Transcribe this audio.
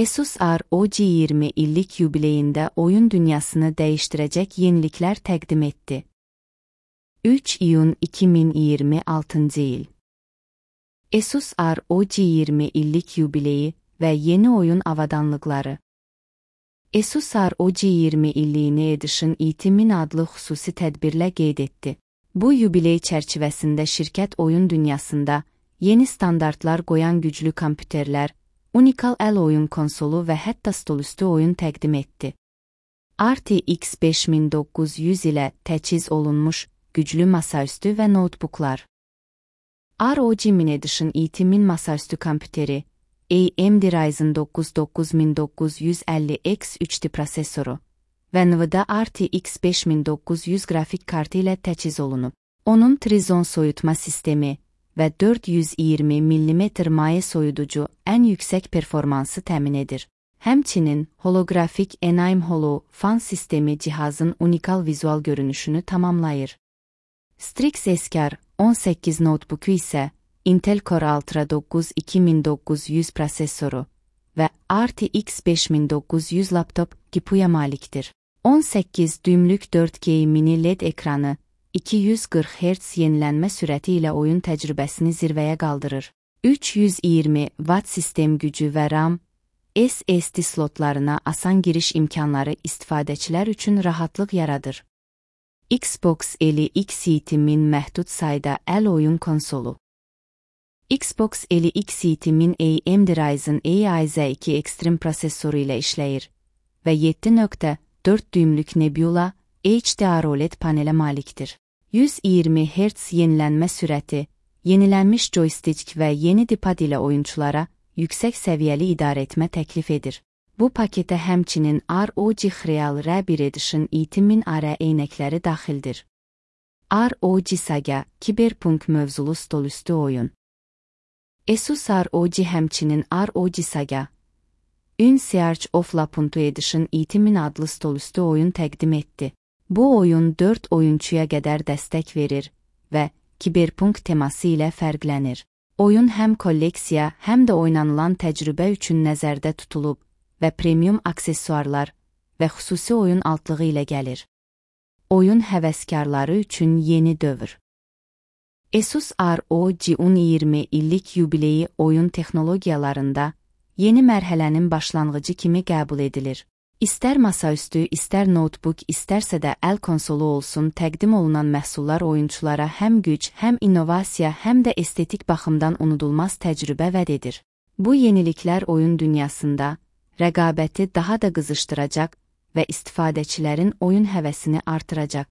Asus ROG 20 illik yubileyində oyun dünyasını dəyişdirəcək yeniliklər təqdim etdi. 3 iyun 2026 il. Asus ROG 20 illik yubileyi və yeni oyun avadanlıqları. Asus ROG 20 illiyini Edition E1000 adlı xüsusi tədbirlə qeyd etdi. Bu yubiley çərçivəsində şirkət oyun dünyasında yeni standartlar qoyan güclü kompüterlər, unikal əl oyun konsolu və hətta stolüstü oyun təqdim etdi. RTX 5900 ilə təchiz olunmuş güclü masaüstü və notebooklar. ROG Mini Edition E1000 masaüstü kompüteri, AMD Ryzen 9 9950X3D prosesoru və NVIDIA RTX 5900 qrafik kartı ilə təchiz olunub. Onun Trizon soyutma sistemi və 420 mm maye soyuducu ən yüksək performansı təmin edir. Həmçinin holografik Enaim Holo fan sistemi cihazın unikal vizual görünüşünü tamamlayır. Strix Eskar 18 notebooku isə Intel Core Ultra 9 2900 prosesoru və RTX 5900 laptop GPU'ya malikdir. 18 düymlük 4K mini LED ekranı 240 Hz yenilənmə sürəti ilə oyun təcrübəsini zirvəyə qaldırır. 320 Watt sistem gücü və RAM, SSD slotlarına asan giriş imkanları istifadəçilər üçün rahatlıq yaradır. Xbox Eli X7000 məhdud sayda əl oyun konsolu. Xbox Eli X7000 AMD Ryzen AIZ2 Extreme prosesoru ilə işləyir və 7.4 düymlük Nebula HDR OLED panelə malikdir. 120 Hz yenilənmə sürəti, yenilənmiş joystick və yeni D-pad ilə oyunçulara yüksək səviyyəli idarəetmə təklif edir. Bu paketə həmçinin ROG Real R1 Edition E1000 AR eynəkləri daxildir. ROG Saga Cyberpunk mövzulu stolüstü oyun. Asus ROG həmçinin ROG Saga Un Search of Lapuntu Edition E1000 adlı stolüstü oyun təqdim etdi. Bu oyun 4 oyunçuya qədər dəstək verir və Cyberpunk teması ilə fərqlənir. Oyun həm kolleksiya, həm də oynanılan təcrübə üçün nəzərdə tutulub və premium aksesuarlar və xüsusi oyun altlığı ilə gəlir. Oyun həvəskarları üçün yeni dövr. Asus ROG 20 illik yubileyi oyun texnologiyalarında yeni mərhələnin başlanğıcı kimi qəbul edilir. İstər masaüstü, istər notebook, istərsə də əl konsolu olsun, təqdim olunan məhsullar oyunçulara həm güc, həm innovasiya, həm də estetik baxımdan unudulmaz təcrübə vəd edir. Bu yeniliklər oyun dünyasında rəqabəti daha da qızışdıracaq və istifadəçilərin oyun həvəsini artıracaq.